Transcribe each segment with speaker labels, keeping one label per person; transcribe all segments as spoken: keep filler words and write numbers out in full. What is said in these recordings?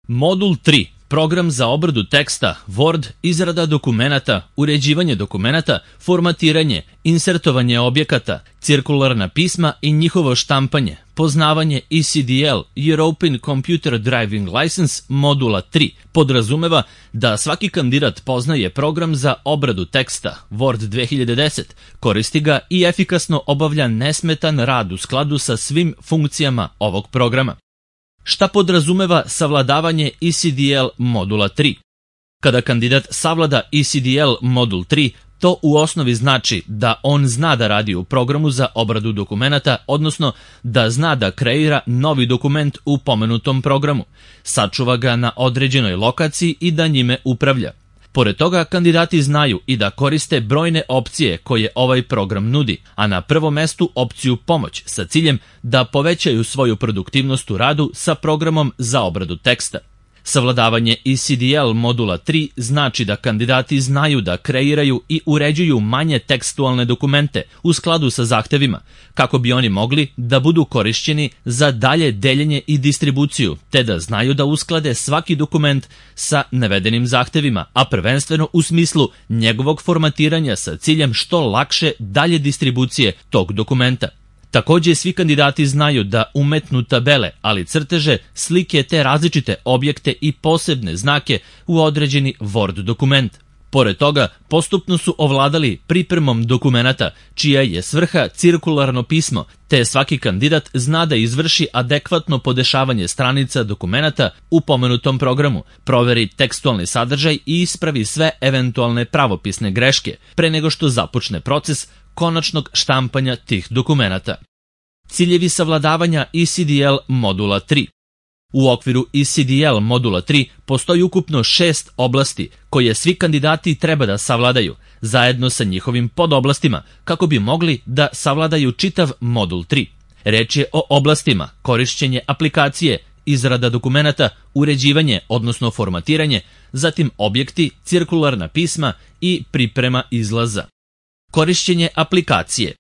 Speaker 1: Modul tri. Program za obradu teksta, Word, izrada dokumenata, uređivanje dokumenata, formatiranje, insertovanje objekata, cirkularna pisma i njihovo štampanje, poznavanje E C D L, European Computer Driving License, modula tri, podrazumeva da svaki kandidat poznaje program za obradu teksta, Word dve hiljade deset, koristi ga i efikasno obavlja nesmetan rad u skladu sa svim funkcijama ovog programa. Šta podrazumeva savladavanje E C D L modula tri? Kada kandidat savlada E C D L modul tri, to u osnovi znači da on zna da radi u programu za obradu dokumenata, odnosno da zna da kreira novi dokument u pomenutom programu, sačuva ga na određenoj lokaciji i da njime upravlja. Pored toga, kandidati znaju i da koriste brojne opcije koje ovaj program nudi, a na prvom mestu opciju pomoć sa ciljem da povećaju svoju produktivnost u radu sa programom za obradu teksta. Savladavanje E C D L modula tri znači da kandidati znaju da kreiraju i uređuju manje tekstualne dokumente u skladu sa zahtevima, kako bi oni mogli da budu korišćeni za dalje deljenje i distribuciju, te da znaju da usklade svaki dokument sa navedenim zahtevima, a prvenstveno u smislu njegovog formatiranja sa ciljem što lakše dalje distribucije tog dokumenta. Takođe, svi kandidati znaju da umetnu tabele, ali crteže, slike te različite objekte i posebne znake u određeni Word dokument. Pored toga, postupno su ovladali pripremom dokumenata, čija je svrha cirkularno pismo, te svaki kandidat zna da izvrši adekvatno podešavanje stranica dokumenata u pomenutom programu, proveri tekstualni sadržaj i ispravi sve eventualne pravopisne greške, pre nego što započne proces konačnog štampanja tih dokumenata. Ciljevi savladavanja E C D L modula tri. U okviru E C D L modula tri postoji ukupno šest oblasti koje svi kandidati treba da savladaju, zajedno sa njihovim podoblastima, kako bi mogli da savladaju čitav modul tri. Reč je o oblastima korišćenje aplikacije, izrada dokumenata, uređivanje, odnosno formatiranje, zatim objekti, cirkularna pisma i priprema izlaza. Korišćenje aplikacije.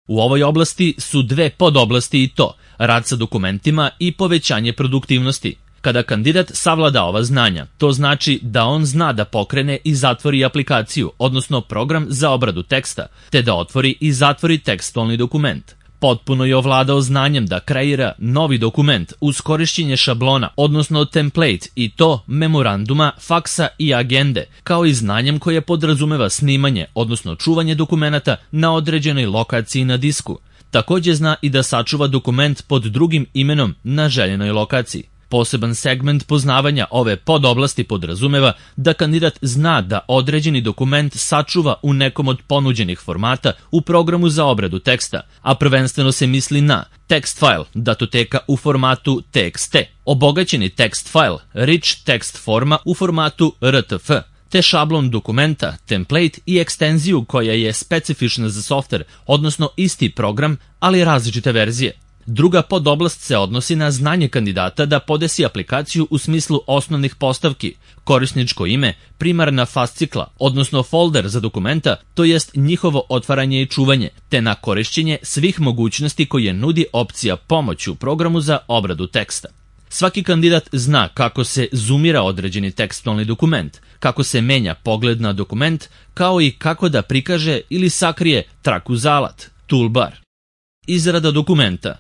Speaker 1: U ovoj oblasti su dve podoblasti i to, rad sa dokumentima i povećanje produktivnosti. Kada kandidat savlada ova znanja, to znači da on zna da pokrene i zatvori aplikaciju, odnosno program za obradu teksta, te da otvori i zatvori tekstualni dokument. Potpuno je ovladao znanjem da kreira novi dokument uz korišćenje šablona, odnosno template, i to memoranduma, faksa i agende, kao i znanjem koje podrazumeva snimanje, odnosno čuvanje dokumenata na određenoj lokaciji na disku. Takođe zna i da sačuva dokument pod drugim imenom na željenoj lokaciji. Poseban segment poznavanja ove podoblasti podrazumeva da kandidat zna da određeni dokument sačuva u nekom od ponuđenih formata u programu za obradu teksta, a prvenstveno se misli na text file, datoteka u formatu T X T, obogaćeni text file, rich text forma u formatu R T F, te šablon dokumenta, template i ekstenziju koja je specifična za softver, odnosno isti program, ali različite verzije. Druga podoblast se odnosi na znanje kandidata da podesi aplikaciju u smislu osnovnih postavki, korisničko ime, primarna fascikla, odnosno folder za dokumenta, to jest njihovo otvaranje i čuvanje, te na korišćenje svih mogućnosti koje nudi opcija pomoć u programu za obradu teksta. Svaki kandidat zna kako se zoomira određeni tekstualni dokument, kako se menja pogled na dokument, kao i kako da prikaže ili sakrije traku za alat, toolbar. Izrada dokumenta.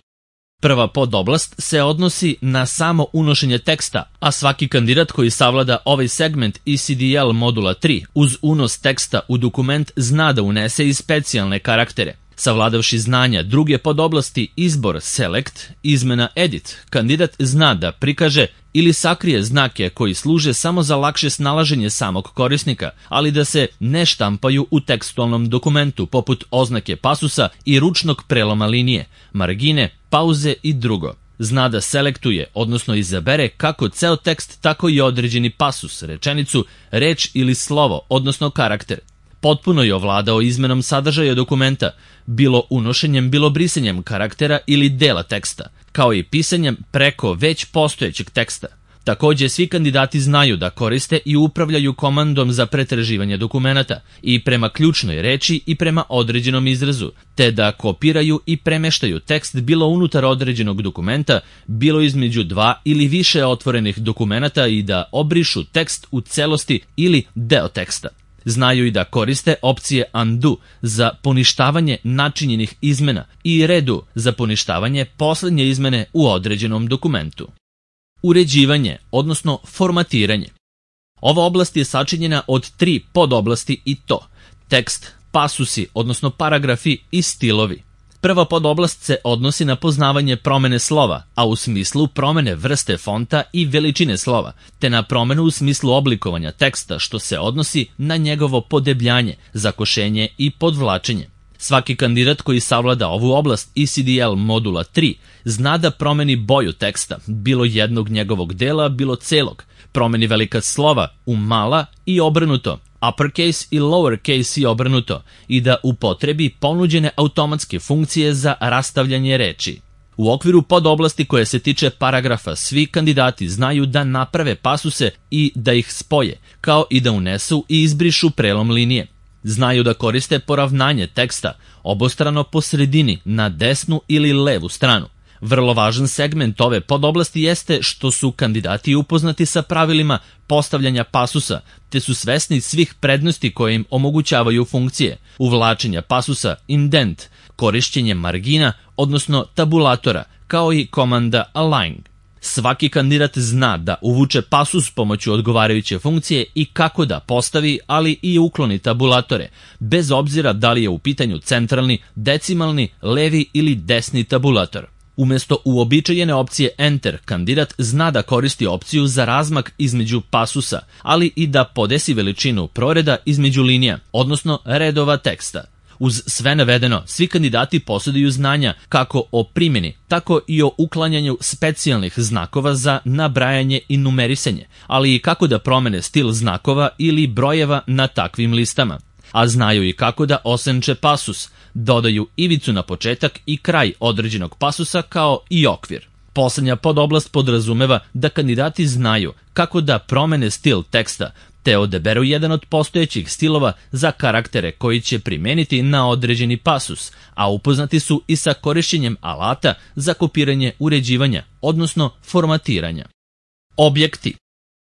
Speaker 1: Prva podoblast se odnosi na samo unošenje teksta, a svaki kandidat koji savlada ovaj segment E C D L modula tri uz unos teksta u dokument zna da unese i specijalne karaktere. Savladavši znanja druge podoblasti izbor select, izmena edit, kandidat zna da prikaže ili sakrije znake koji služe samo za lakše snalaženje samog korisnika, ali da se ne štampaju u tekstualnom dokumentu poput oznake pasusa i ručnog preloma linije, margine, pauze i drugo. Zna da selektuje, odnosno izabere kako ceo tekst, tako i određeni pasus, rečenicu, reč ili slovo, odnosno karakter. Potpuno je ovladao izmenom sadržaja dokumenta, bilo unošenjem, bilo brisanjem karaktera ili dela teksta, kao i pisanjem preko već postojećeg teksta. Takođe, svi kandidati znaju da koriste i upravljaju komandom za pretraživanje dokumenata i prema ključnoj reči i prema određenom izrazu, te da kopiraju i premeštaju tekst bilo unutar određenog dokumenta, bilo između dva ili više otvorenih dokumenata i da obrišu tekst u celosti ili deo teksta. Znaju i da koriste opcije undo za poništavanje načinjenih izmena i redo za poništavanje poslednje izmene u određenom dokumentu. Uređivanje, odnosno formatiranje. Ova oblast je sačinjena od tri podoblasti i to: tekst, pasusi, odnosno paragrafi i stilovi. Prva podoblast se odnosi na poznavanje promene slova, a u smislu promene vrste fonta i veličine slova, te na promenu u smislu oblikovanja teksta, što se odnosi na njegovo podebljanje, zakošenje i podvlačenje. Svaki kandidat koji savlada ovu oblast E C D L modula tri zna da promeni boju teksta, bilo jednog njegovog dela, bilo celog, promeni velika slova u mala i obrnuto, uppercase i lowercase i obrnuto, i da upotrebi ponuđene automatske funkcije za rastavljanje reči. U okviru podoblasti koje se tiče paragrafa, svi kandidati znaju da naprave pasuse i da ih spoje, kao i da unesu i izbrišu prelom linije. Znaju da koriste poravnanje teksta obostrano po sredini na desnu ili levu stranu. Vrlo važan segment ove podoblasti jeste što su kandidati upoznati sa pravilima postavljanja pasusa, te su svesni svih prednosti koje im omogućavaju funkcije: uvlačenja pasusa, indent, korišćenje margina, odnosno tabulatora, kao i komanda align. Svaki kandidat zna da uvuče pasus pomoću odgovarajuće funkcije i kako da postavi, ali i ukloni tabulatore, bez obzira da li je u pitanju centralni, decimalni, levi ili desni tabulator. Umesto uobičajene opcije Enter, kandidat zna da koristi opciju za razmak između pasusa, ali i da podesi veličinu proreda između linija, odnosno redova teksta. Uz sve navedeno, svi kandidati posjeduju znanja kako o primjeni, tako i o uklanjanju specijalnih znakova za nabrajanje i numerisanje, ali i kako da promene stil znakova ili brojeva na takvim listama. A znaju i kako da osenče pasus, dodaju ivicu na početak i kraj određenog pasusa, kao i okvir. Poslednja podoblast podrazumeva da kandidati znaju kako da promene stil teksta, te odaberu jedan od postojećih stilova za karaktere koji će primeniti na određeni pasus, a upoznati su i sa korišćenjem alata za kopiranje uređivanja, odnosno formatiranja. Objekti.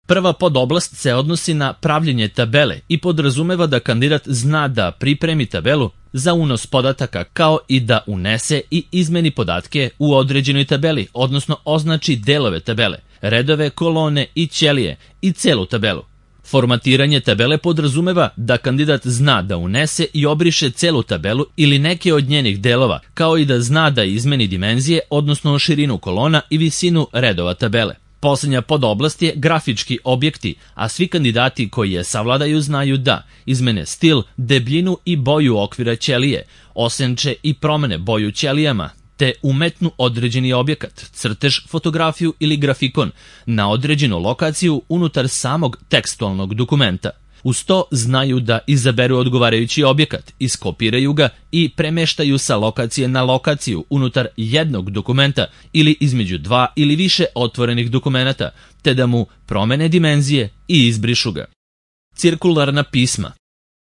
Speaker 1: Prva podoblast se odnosi na pravljenje tabele i podrazumeva da kandidat zna da pripremi tabelu za unos podataka, kao i da unese i izmeni podatke u određenoj tabeli, odnosno označi delove tabele, redove, kolone i ćelije i celu tabelu. Formatiranje tabele podrazumeva da kandidat zna da unese i obriše celu tabelu ili neke od njenih delova, kao i da zna da izmeni dimenzije, odnosno širinu kolona i visinu redova tabele. Poslednja podoblast je grafički objekti, a svi kandidati koji je savladaju znaju da izmene stil, debljinu i boju okvira ćelije, osenče i promene boju ćelijama, te umetnu određeni objekat, crtež, fotografiju ili grafikon na određenu lokaciju unutar samog tekstualnog dokumenta. Uz to znaju da izaberu odgovarajući objekat, iskopiraju ga i premeštaju sa lokacije na lokaciju unutar jednog dokumenta ili između dva ili više otvorenih dokumenata, te da mu promene dimenzije i izbrišu ga. Cirkularna pisma.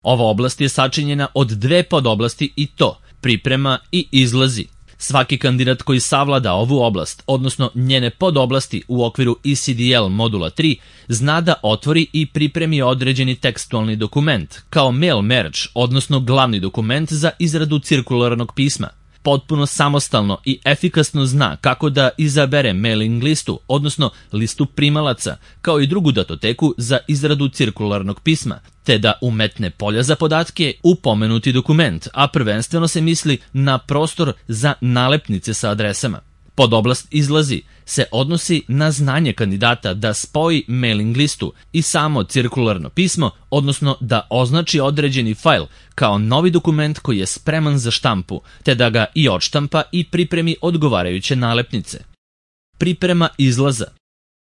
Speaker 1: Ova oblast je sačinjena od dve podoblasti i to: priprema i izlazi. Svaki kandidat koji savlada ovu oblast, odnosno njene podoblasti u okviru E C D L modula tri, zna da otvori i pripremi određeni tekstualni dokument, kao mail merge, odnosno glavni dokument za izradu cirkularnog pisma. Potpuno samostalno i efikasno zna kako da izabere mailing listu, odnosno listu primalaca, kao i drugu datoteku za izradu cirkularnog pisma, te da umetne polja za podatke u pomenuti dokument, a prvenstveno se misli na prostor za nalepnice sa adresama. Podoblast izlazi se odnosi na znanje kandidata da spoji mailing listu i samo cirkularno pismo, odnosno da označi određeni fajl kao novi dokument koji je spreman za štampu, te da ga i odštampa i pripremi odgovarajuće nalepnice. Priprema izlaza.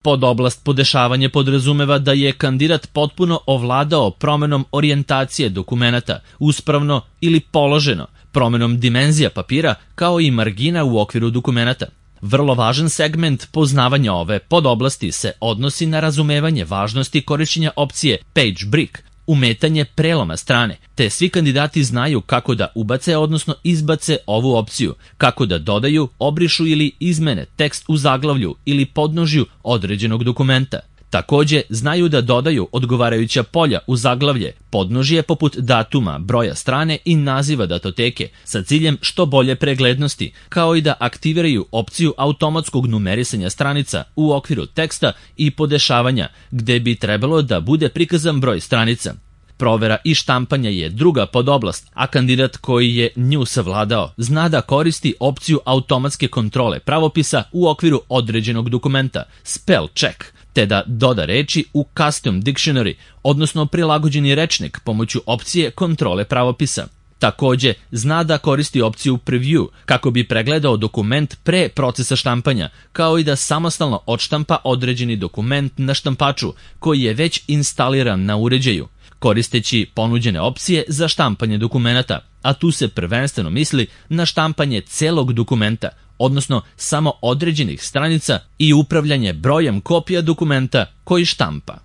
Speaker 1: Podoblast podešavanje podrazumeva da je kandidat potpuno ovladao promenom orijentacije dokumenata, uspravno ili položeno, promenom dimenzija papira, kao i margina u okviru dokumenata. Vrlo važan segment poznavanja ove podoblasti se odnosi na razumevanje važnosti korišćenja opcije Page Break, umetanje preloma strane, te svi kandidati znaju kako da ubace, odnosno izbace ovu opciju, kako da dodaju, obrišu ili izmene tekst u zaglavlju ili podnožju određenog dokumenta. Takođe, znaju da dodaju odgovarajuća polja u zaglavlje, podnožje poput datuma, broja strane i naziva datoteke sa ciljem što bolje preglednosti, kao i da aktiviraju opciju automatskog numerisanja stranica u okviru teksta i podešavanja, gde bi trebalo da bude prikazan broj stranica. Provera i štampanja je druga podoblast, a kandidat koji je nju savladao zna da koristi opciju automatske kontrole pravopisa u okviru određenog dokumenta, spell check, te da doda reči u custom dictionary, odnosno prilagođeni rečnik pomoću opcije kontrole pravopisa. Takođe, zna da koristi opciju preview kako bi pregledao dokument pre procesa štampanja, kao i da samostalno odštampa određeni dokument na štampaču koji je već instaliran na uređaju, koristeći ponuđene opcije za štampanje dokumenata, a tu se prvenstveno misli na štampanje celog dokumenta, odnosno samo određenih stranica i upravljanje brojem kopija dokumenta koji štampa.